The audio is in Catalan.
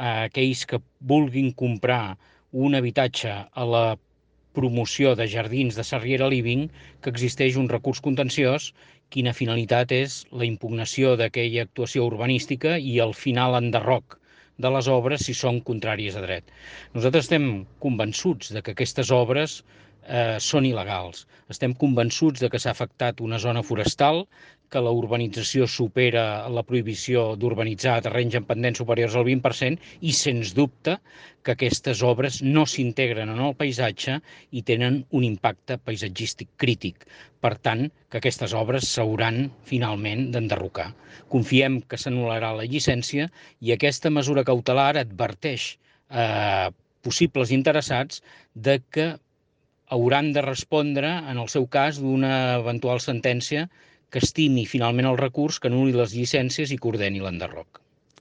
a aquells que vulguin comprar un habitatge a la promoció de jardins de Sarriera Living que existeix un recurs contenciós, quina finalitat és la impugnació d'aquella actuació urbanística i el final enderroc de les obres si són contràries a dret. Nosaltres estem convençuts de que aquestes obres són il·legals. Estem convençuts de que s'ha afectat una zona forestal, que la urbanització supera la prohibició d'urbanitzar a terrenys en pendents superiors al 20% i, sens dubte, que aquestes obres no s'integren en el paisatge i tenen un impacte paisatgístic crític. Per tant, que aquestes obres s'hauran finalment d'enderrocar. Confiem que s'anul·larà la llicència i aquesta mesura cautelar adverteix a possibles interessats de que hauran de respondre, en el seu cas, d'una eventual sentència que estimi finalment el recurs, que anul·li les llicències i que ordeni l'enderroc.